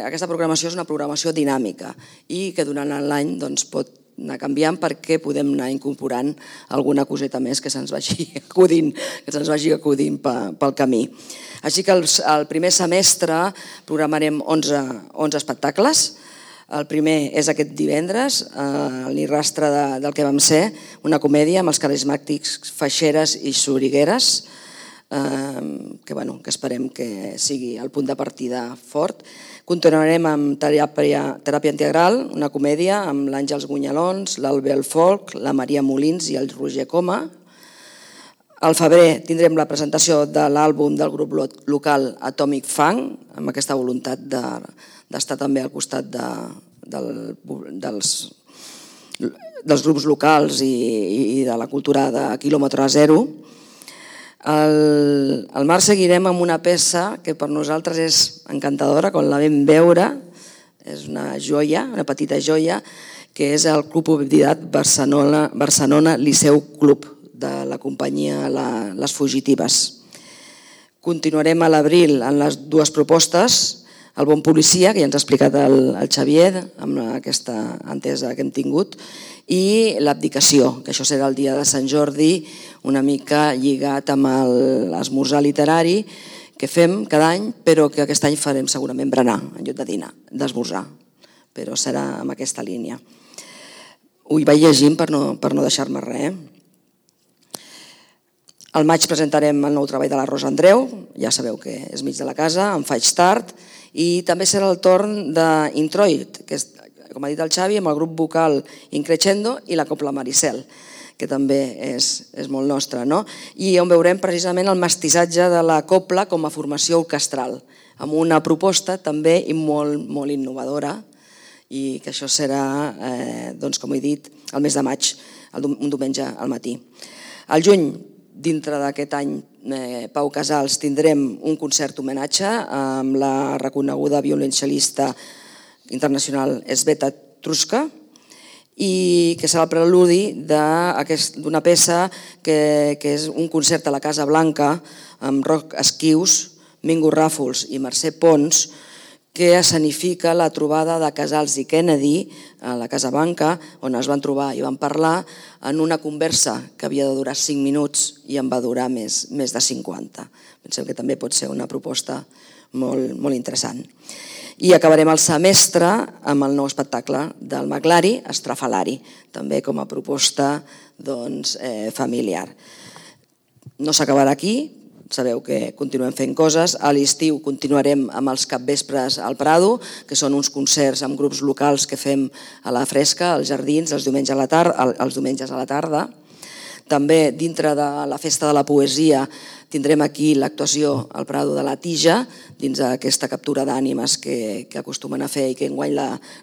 C: aquesta programació és una programació dinàmica i que durant l'any pot anar canviant perquè podem anar incorporant alguna coseta més que se'ns vagi acudint pel camí. Així que el primer semestre programarem 11 espectacles. El primer és aquest divendres, Ni rastre del que vam ser, una comèdia amb els carismàtics Feixeres i Sorigueres, que esperem que sigui el punt de partida fort. Continuarem amb Teràpia Integral, una comèdia amb l'Àngels Gunyalons, l'Albel Folk, la Maria Molins i el Roger Coma. Al febrer tindrem la presentació de l'àlbum del grup local Atomic Funk, amb aquesta voluntat d'estar també al costat dels grups locals i de la cultura de quilòmetre zero. Al març seguirem amb una peça que per nosaltres és encantadora, quan la vam veure, és una joia, una petita joia, que és el Club Oblidat Barcelona Liceu Club, de la companyia Les Fugitives. Continuarem a l'abril en les 2 propostes, El bon policia, que ja ens ha explicat el Xavier amb aquesta entesa que hem tingut, i L'abdicació, que això serà el dia de Sant Jordi, una mica lligat amb l'esmorzar literari que fem cada any, però que aquest any farem segurament berenar en lloc de dinar, d'esmorzar, però serà amb aquesta línia. Ho vaig llegint per no deixar-me res. Al maig presentarem el nou treball de la Rosa Andreu, ja sabeu que és mig de la casa, en Faig Tard, i també serà el torn d'Introit, que és, com ha dit el Xavi, amb el grup vocal Increixendo i la Copla Maricel, que també és molt nostra, no? I on veurem precisament el mestissatge de la copla com a formació orquestral, amb una proposta també molt innovadora, i que això serà, com he dit, el mes de maig, un diumenge al matí. Al juny, dintre d'aquest any Pau Casals, tindrem un concert homenatge amb la reconeguda violoncel·lista internacional Sveta Truska, i que serà el preludi d'una peça que és un concert a la Casa Blanca amb Roc Esquius, Mingo Ràfols i Mercè Pons, que escenifica la trobada de Casals i Kennedy a la Casa Blanca, on es van trobar i van parlar en una conversa que havia de durar 5 minuts i en va durar més de 50. Pensem que també pot ser una proposta molt interessant. I acabarem el semestre amb el nou espectacle del Maclari, Estrafalari, també com a proposta familiar. No s'acabarà aquí, sabeu que continuem fent coses. A l'estiu continuarem amb els capvespres al Prado, que són uns concerts amb grups locals que fem a la fresca, als jardins, els diumenges a la tarda. També dintre de la Festa de la Poesia tindrem aquí l'actuació al Prado de la Tija, dins d'aquesta captura d'ànimes que acostumen a fer i que enguany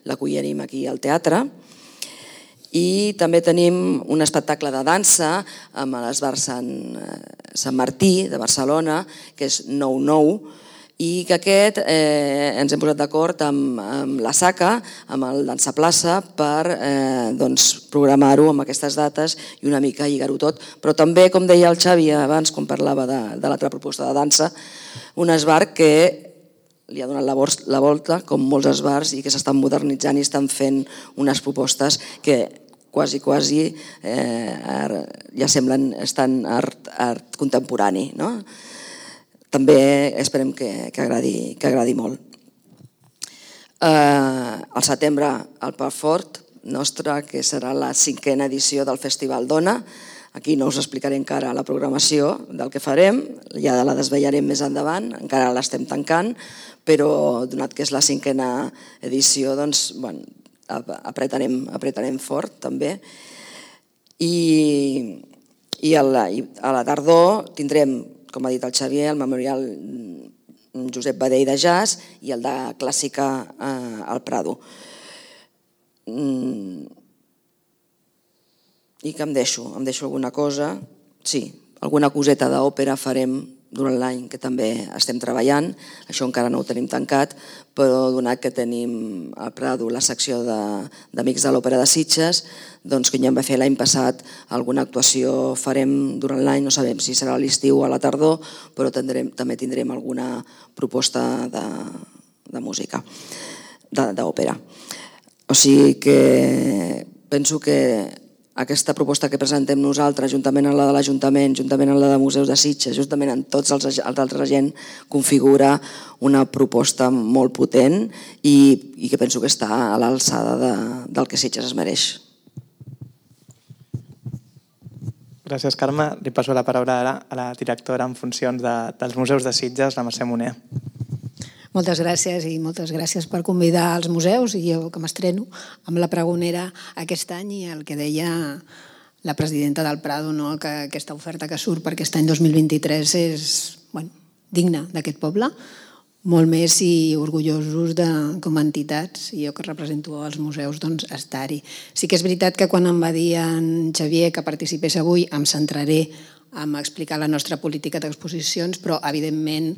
C: l'acollim aquí al teatre. I també tenim un espectacle de dansa amb l'Esbar Sant Martí de Barcelona, que és 9-9, i que aquest ens hem posat d'acord amb la SACA, amb el Dansa Plaça, per programar-ho amb aquestes dates i una mica lligar-ho tot. Però també, com deia el Xavi abans, quan parlava de l'altra proposta de dansa, un esbar que li ha donat la volta, com molts esbars, i que s'estan modernitzant i estan fent unes propostes que quasi ja semblen estan art contemporani. També esperem que agradi molt. Al setembre el Pub Fort nostre, que serà la 5a edició del Festival Dona. Aquí no us explicaré encara la programació del que farem, ja la desvetllarem més endavant, encara l'estem tancant, però donat que és la 5a edició, doncs, apretarem fort també. I a la tardor tindrem, com ha dit el Xavier, el Memorial Josep Badell de Jazz i el de Clàssica al Prado. I que em deixo alguna cosa? Sí, alguna coseta d'òpera farem durant l'any, que també estem treballant. Això encara no ho tenim tancat, però donat que tenim al Prado la secció d'Amics de l'Òpera de Sitges, doncs que ja em va fer l'any passat alguna actuació farem durant l'any, no sabem si serà a l'estiu o a la tardor, però també tindrem alguna proposta de música, d'òpera. O sigui que penso que aquesta proposta que presentem nosaltres, juntament amb la de l'Ajuntament, juntament amb la de Museus de Sitges, juntament amb tots els altres agents, configura una proposta molt potent i que penso que està a l'alçada del que Sitges es mereix.
B: Gràcies, Carme. Li passo la paraula ara a la directora en funcions dels Museus de Sitges, la Mercè Moner.
D: Moltes gràcies i moltes gràcies per convidar als museus i jo que m'estreno amb la pregonera aquest any i el que deia la presidenta del Prado, que aquesta oferta que surt per aquest any 2023 és digna d'aquest poble, molt més i orgullosos com a entitats, i jo que represento els museus, doncs estar-hi. Sí que és veritat que quan em va dir en Xavier que participés avui em centraré en explicar la nostra política d'exposicions, però evidentment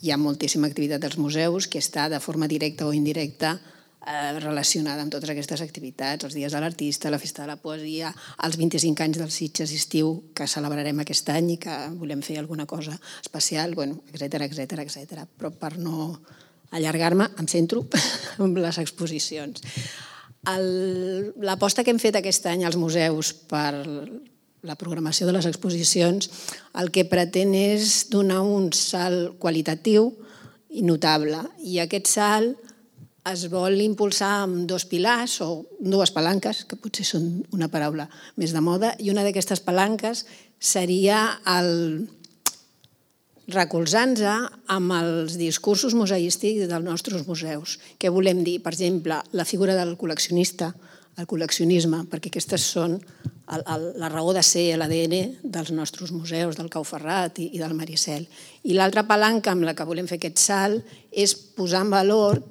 D: hi ha moltíssima activitat als museus que està de forma directa o indirecta relacionada amb totes aquestes activitats, els dies de l'artista, la festa de la poesia, els 25 anys del Sitges estiu que celebrarem aquest any i que volem fer alguna cosa especial, etcètera. Però per no allargar-me, em centro en les exposicions. L'aposta que hem fet aquest any als museus per la programació de les exposicions, el que pretén és donar un salt qualitatiu i notable. I aquest salt es vol impulsar amb dos pilars o dues palanques, que potser són una paraula més de moda, i una d'aquestes palanques seria recolzant-se amb els discursos museístics dels nostres museus. Què volem dir? Per exemple, la figura del col·leccionista, el col·leccionisme, perquè aquestes són la raó de ser, l'ADN dels nostres museus, del Cau Ferrat i del Maricel. I l'altra palanca amb la que volem fer aquest salt és posar en valor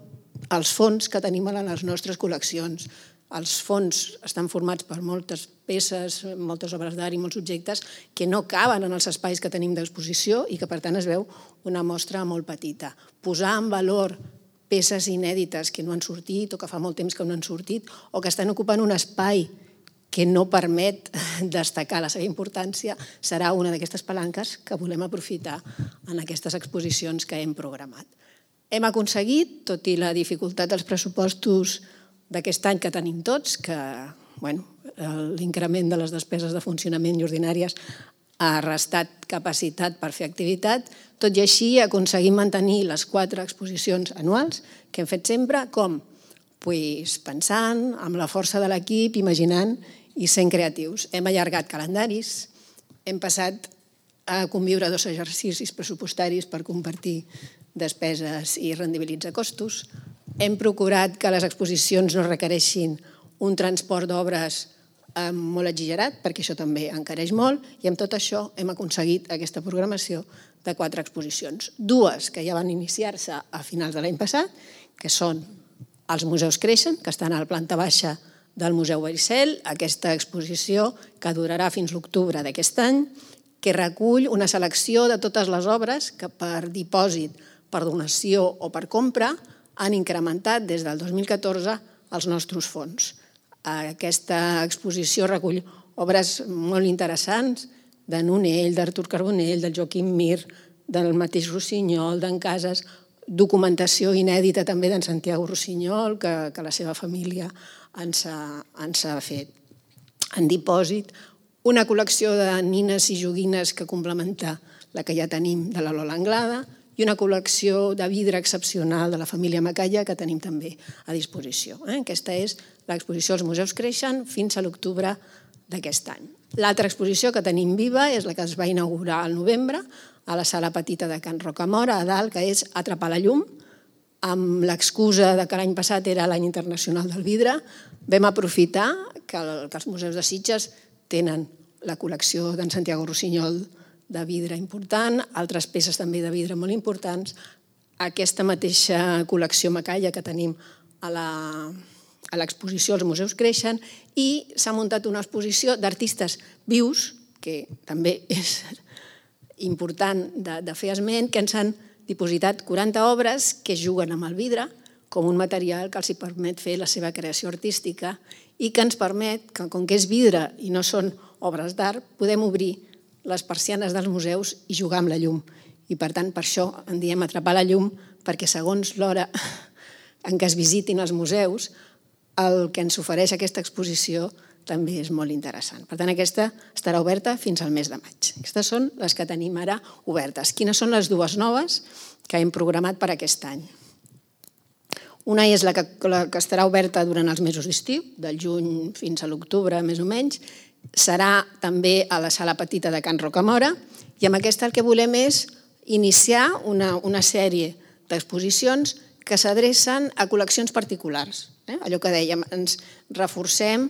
D: els fons que tenim a les nostres col·leccions. Els fons estan formats per moltes peces, moltes obres d'art i molts objectes que no caben en els espais que tenim d'exposició i que per tant es veu una mostra molt petita. Posar en valor peces inèdites que no han sortit o que fa molt temps que no han sortit o que estan ocupant un espai que no permet destacar la seva importància serà una d'aquestes palanques que volem aprofitar en aquestes exposicions que hem programat. Hem aconseguit, tot i la dificultat dels pressupostos d'aquest any que tenim tots, que l'increment de les despeses de funcionament i ordinàries ha restat capacitat per fer activitat, tot i així aconseguim mantenir les 4 exposicions anuals que hem fet sempre, com? Pensant, amb la força de l'equip, imaginant i sent creatius. Hem allargat calendaris, hem passat a conviure 2 exercicis pressupostaris per compartir despeses i rendibilitzar costos. Hem procurat que les exposicions no requereixin un transport d'obres molt exagerat, perquè això també encareix molt, i amb tot això hem aconseguit aquesta programació de 4 exposicions. 2 que ja van iniciar-se a finals de l'any passat, que són els Museus Creixen, que estan a la planta baixa del Museu Vericel, aquesta exposició que durarà fins l'octubre d'aquest any, que recull una selecció de totes les obres que per dipòsit, per donació o per compra han incrementat des del 2014 els nostres fons. Aquesta exposició recull obres molt interessants de Nonell, d'Artur Carbonell, del Joaquim Mir, del mateix Rossinyol, d'en Casas, documentació inèdita també d'en Santiago Rossinyol, que la seva família ens ha fet en dipòsit, una col·lecció de nines i joguines que complementa la que ja tenim de la Lola Anglada i una col·lecció de vidre excepcional de la família Macaya que tenim també a disposició. Aquesta és l'exposició als Museus Creixen fins a l'octubre d'aquest any. L'altra exposició que tenim viva és la que es va inaugurar al novembre a la sala petita de Can Rocamora, a dalt, que és Atrapar la llum, amb l'excusa que l'any passat era l'any internacional del vidre. Vam aprofitar que els museus de Sitges tenen la col·lecció d'en Santiago Rossinyol de vidre important, altres peces també de vidre molt importants, aquesta mateixa col·lecció Macaya que tenim a l'exposició als Museus Creixen, i s'ha muntat una exposició d'artistes vius, que també és important de fer esment, que ens han dipositat 40 obres que juguen amb el vidre com un material que els permet fer la seva creació artística i que ens permet, que com que és vidre i no són obres d'art, podem obrir les persianes dels museus i jugar amb la llum. I per tant, per això en diem atrapar la llum, perquè segons l'hora en què es visitin els museus, el que ens ofereix aquesta exposició també és molt interessant. Per tant, aquesta estarà oberta fins al mes de maig. Aquestes són les que tenim ara obertes. Quines són les 2 noves que hem programat per aquest any? Una és la que estarà oberta durant els mesos d'estiu, del juny fins a l'octubre, més o menys. Serà també a la sala petita de Can Rocamora, i amb aquesta el que volem és iniciar una sèrie d'exposicions que s'adrecen a col·leccions particulars. Allò que dèiem, ens reforcem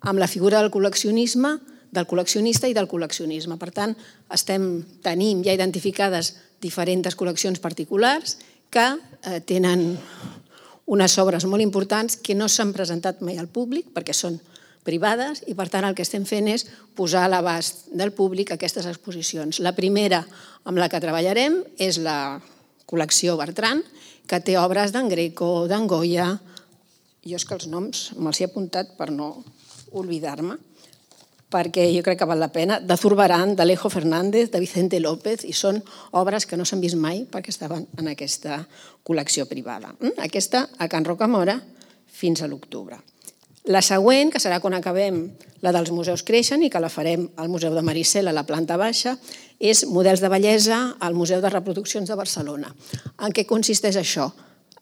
D: amb la figura del col·leccionisme, del col·leccionista i del col·leccionisme. Per tant, tenim ja identificades diferents col·leccions particulars que tenen unes obres molt importants que no s'han presentat mai al públic perquè són privades i, per tant, el que estem fent és posar a l'abast del públic aquestes exposicions. La primera amb la que treballarem és la col·lecció Bertran, que té obres d'en Greco, d'en Goya. Jo és que els noms me'ls he apuntat per no oblidar-me, perquè jo crec que val la pena, de Zurbarán, d'Alejo Fernández, de Vicente López, i són obres que no s'han vist mai perquè estaven en aquesta col·lecció privada. Aquesta a Can Rocamora fins a l'octubre. La següent, que serà quan acabem la dels Museus Creixen i que la farem al Museu de Maricel a la planta baixa, és Models de bellesa al Museu de Reproduccions de Barcelona. En què consisteix això?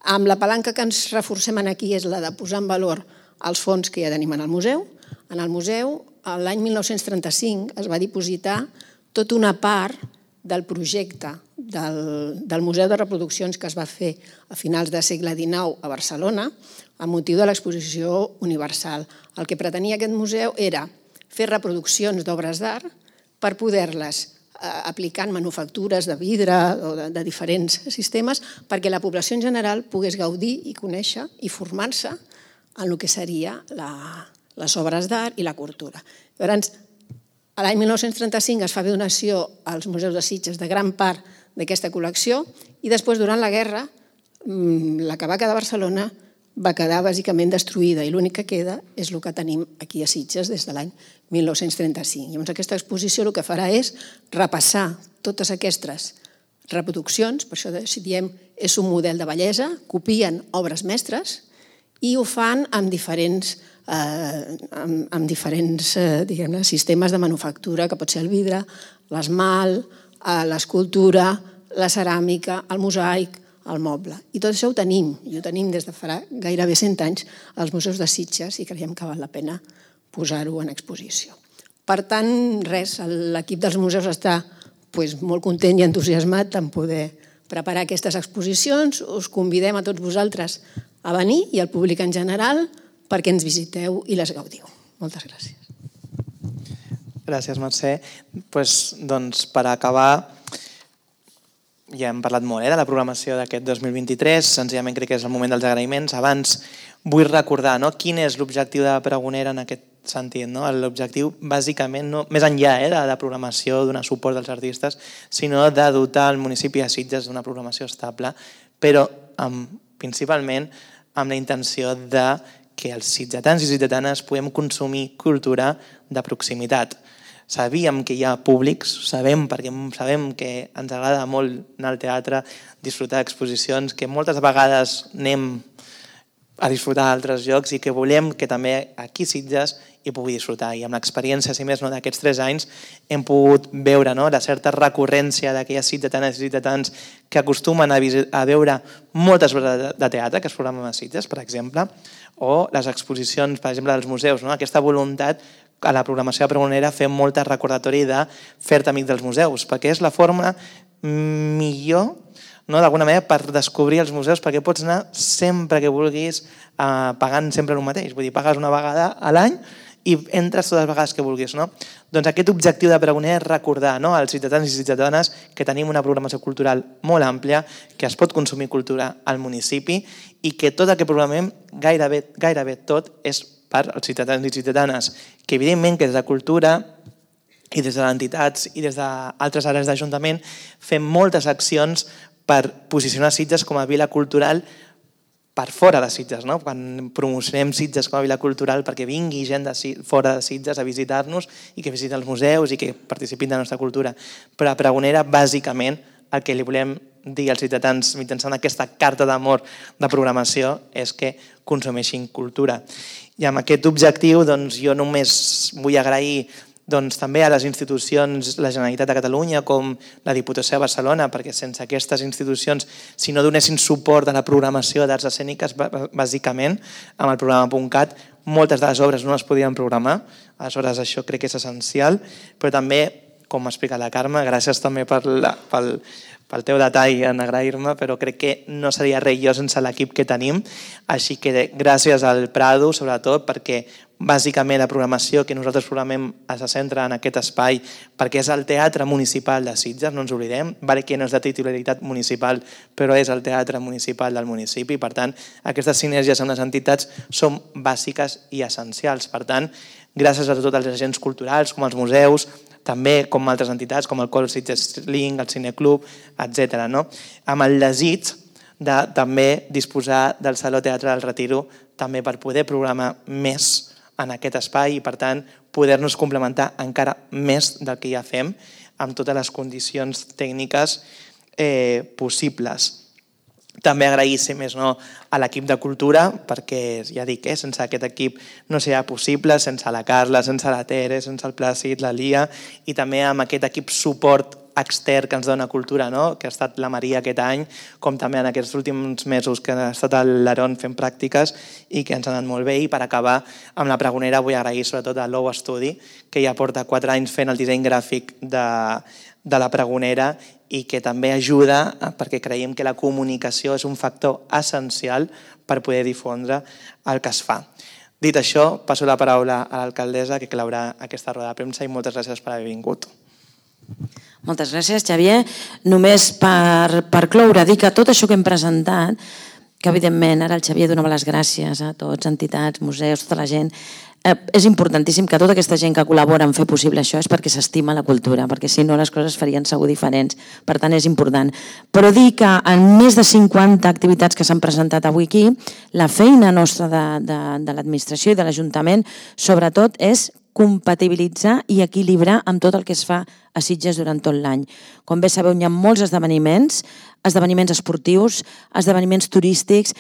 D: Amb la palanca que ens reforcem aquí és la de posar en valor els fons que ja tenim en el museu. En el museu, l'any 1935, es va dipositar tota una part del projecte del Museu de Reproduccions que es va fer a finals del segle XIX a Barcelona amb motiu de l'exposició universal. El que pretenia aquest museu era fer reproduccions d'obres d'art per poder-les aplicar en manufactures de vidre o de diferents sistemes perquè la població en general pogués gaudir i conèixer i formar-se en el que seria les obres d'art i la cultura. Llavors, l'any 1935 es fa donació als museus de Sitges de gran part d'aquesta col·lecció i després, durant la guerra, la que va quedar a Barcelona va quedar bàsicament destruïda i l'únic que queda és el que tenim aquí a Sitges des de l'any 1935. Llavors, aquesta exposició el que farà és repassar totes aquestes reproduccions, per això diem és un model de bellesa, copien obres mestres i ho fan amb diferents amb diferents sistemes de manufactura, que pot ser el vidre, l'esmalt, l'escultura, la ceràmica, el mosaic, el moble. I tot això ho tenim, i ho tenim des de fa gairebé 100 anys als museus de Sitges i creiem que val la pena posar-ho en exposició. Per tant, res, l'equip dels museus està molt content i entusiasmat en poder preparar aquestes exposicions. Us convidem a tots vosaltres a venir i al públic en general perquè ens visiteu i les gaudiu. Moltes gràcies.
B: Gràcies, Mercè. Doncs per acabar, ja hem parlat molt de la programació d'aquest 2023, senzillament crec que és el moment dels agraïments. Abans vull recordar quin és l'objectiu de Pregonera en aquest sentit. L'objectiu, bàsicament, més enllà de la programació, donar suport als artistes, sinó de dotar el municipi de Sitges d'una programació estable, però principalment amb la intenció de que els sitgetans i sitgetanes puguem consumir cultura de proximitat. Sabíem que hi ha públics, perquè sabem que ens agrada molt anar al teatre, disfrutar d'exposicions, que moltes vegades anem a disfrutar d'altres llocs i que volem que també aquí Sitges hi pugui disfrutar. I amb l'experiència, si més no, d'aquests 3 anys hem pogut veure la certa recurrència d'aquelles sitgetanes i sitgetans que acostumen a veure moltes obres de teatre que es programen a Sitges, per exemple, o les exposicions, per exemple, dels museus, aquesta voluntat a la programació de Pregonera fer molt recordatori de fer-te amic dels museus, perquè és la forma millor, d'alguna manera, per descobrir els museus, perquè pots anar sempre que vulguis pagant sempre el mateix. Vull dir, pagues una vegada a l'any i entres totes les vegades que vulguis. Doncs aquest objectiu de Pregonera és recordar als ciutadans i ciutadanes que tenim una programació cultural molt àmplia, que es pot consumir cultura al municipi i que tot el que programem, gairebé tot, és per als ciutadans i ciutadanes, que evidentment que des de cultura i des de les entitats i des d'altres àrees d'Ajuntament fem moltes accions per posicionar Sitges com a vila cultural per fora de Sitges, quan promocionem Sitges com a vila cultural perquè vingui gent de fora de Sitges a visitar-nos i que visiten els museus i que participin de la nostra cultura. Però a Pregonera, bàsicament, el que li volem dir als ciutadans mitjançant aquesta carta d'amor de programació és que consumeixin cultura. I amb aquest objectiu jo només vull agrair també a les institucions, la Generalitat de Catalunya com la Diputació de Barcelona, perquè sense aquestes institucions, si no donessin suport a la programació d'arts escèniques, bàsicament, amb el programa.cat, moltes de les obres no es podien programar, aleshores això crec que és essencial, però també, com m'ha explicat la Carme, gràcies també pel teu detall en agrair-me, però crec que no seria res jo sense l'equip que tenim, així que gràcies al Prado, sobretot, perquè bàsicament la programació que nosaltres programem se centra en aquest espai, perquè és el Teatre Municipal de Sitges, no ens oblidem, que no és de titularitat municipal, però és el Teatre Municipal del municipi, per tant, aquestes sinergies amb les entitats són bàsiques i essencials. Per tant, gràcies a tots els agents culturals, com els museus, també com altres entitats, com el Col Sitges Link, el Cineclub, etc. Amb el desig de també disposar del Saló Teatre del Retiro també per poder programar més en aquest espai i, per tant, poder-nos complementar encara més del que ja fem amb totes les condicions tècniques possibles. També agrair, si més no, a l'equip de cultura, perquè ja dic, sense aquest equip no seria possible, sense la Carla, sense la Tere, sense el Plàcid, la Lia, i també amb aquest equip suport extern que ens dona cultura, que ha estat la Maria aquest any, com també en aquests últims mesos que ha estat a l'Aron fent pràctiques i que ens ha anat molt bé. I per acabar amb la Pregonera vull agrair sobretot a Low Study, que ja porta 4 anys fent el disseny gràfic de la Pregonera i que també ajuda perquè creiem que la comunicació és un factor essencial per poder difondre el que es fa. Dit això, passo la paraula a l'alcaldessa que claurà aquesta roda de premsa i moltes gràcies per haver vingut.
A: Moltes gràcies, Xavier. Només per cloure, dir que tot això que hem presentat, que evidentment ara el Xavier donava les gràcies a tots, entitats, museus, tota la gent, és importantíssim que tota aquesta gent que col·labora en fer possible això és perquè s'estima la cultura, perquè si no les coses farien segur diferents, per tant és important. Però dir que en més de 50 activitats que s'han presentat avui aquí, la feina nostra de l'administració i de l'Ajuntament sobretot és compatibilitzar i equilibrar amb tot el que es fa a Sitges durant tot l'any. Com bé sabeu, hi ha molts esdeveniments esportius, esdeveniments turístics,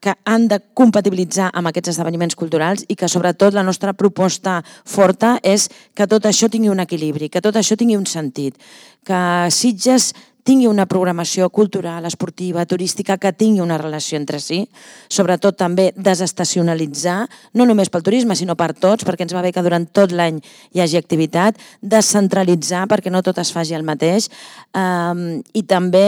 A: que han de compatibilitzar amb aquests esdeveniments culturals i que sobretot la nostra proposta forta és que tot això tingui un equilibri, que tot això tingui un sentit, que Sitges tingui una programació cultural, esportiva, turística, que tingui una relació entre si, sobretot també desestacionalitzar, no només pel turisme, sinó per tots, perquè ens va bé que durant tot l'any hi hagi activitat, descentralitzar perquè no tot es faci el mateix, i també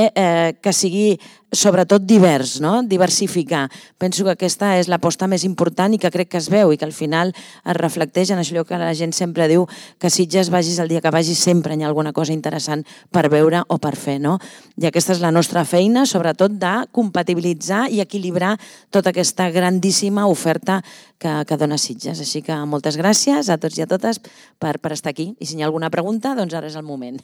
A: que sigui sobretot divers, no? Diversificar. Penso que aquesta és l'aposta més important i que crec que es veu i que al final es reflecteix en allò que la gent sempre diu, que Sitges vagis el dia que vagis sempre hi ha alguna cosa interessant per veure o per fer, no? I aquesta és la nostra feina, sobretot de compatibilitzar i equilibrar tota aquesta grandíssima oferta que dona Sitges. Així que moltes gràcies a tots i a totes per estar aquí i si hi ha alguna pregunta, doncs ara és el moment.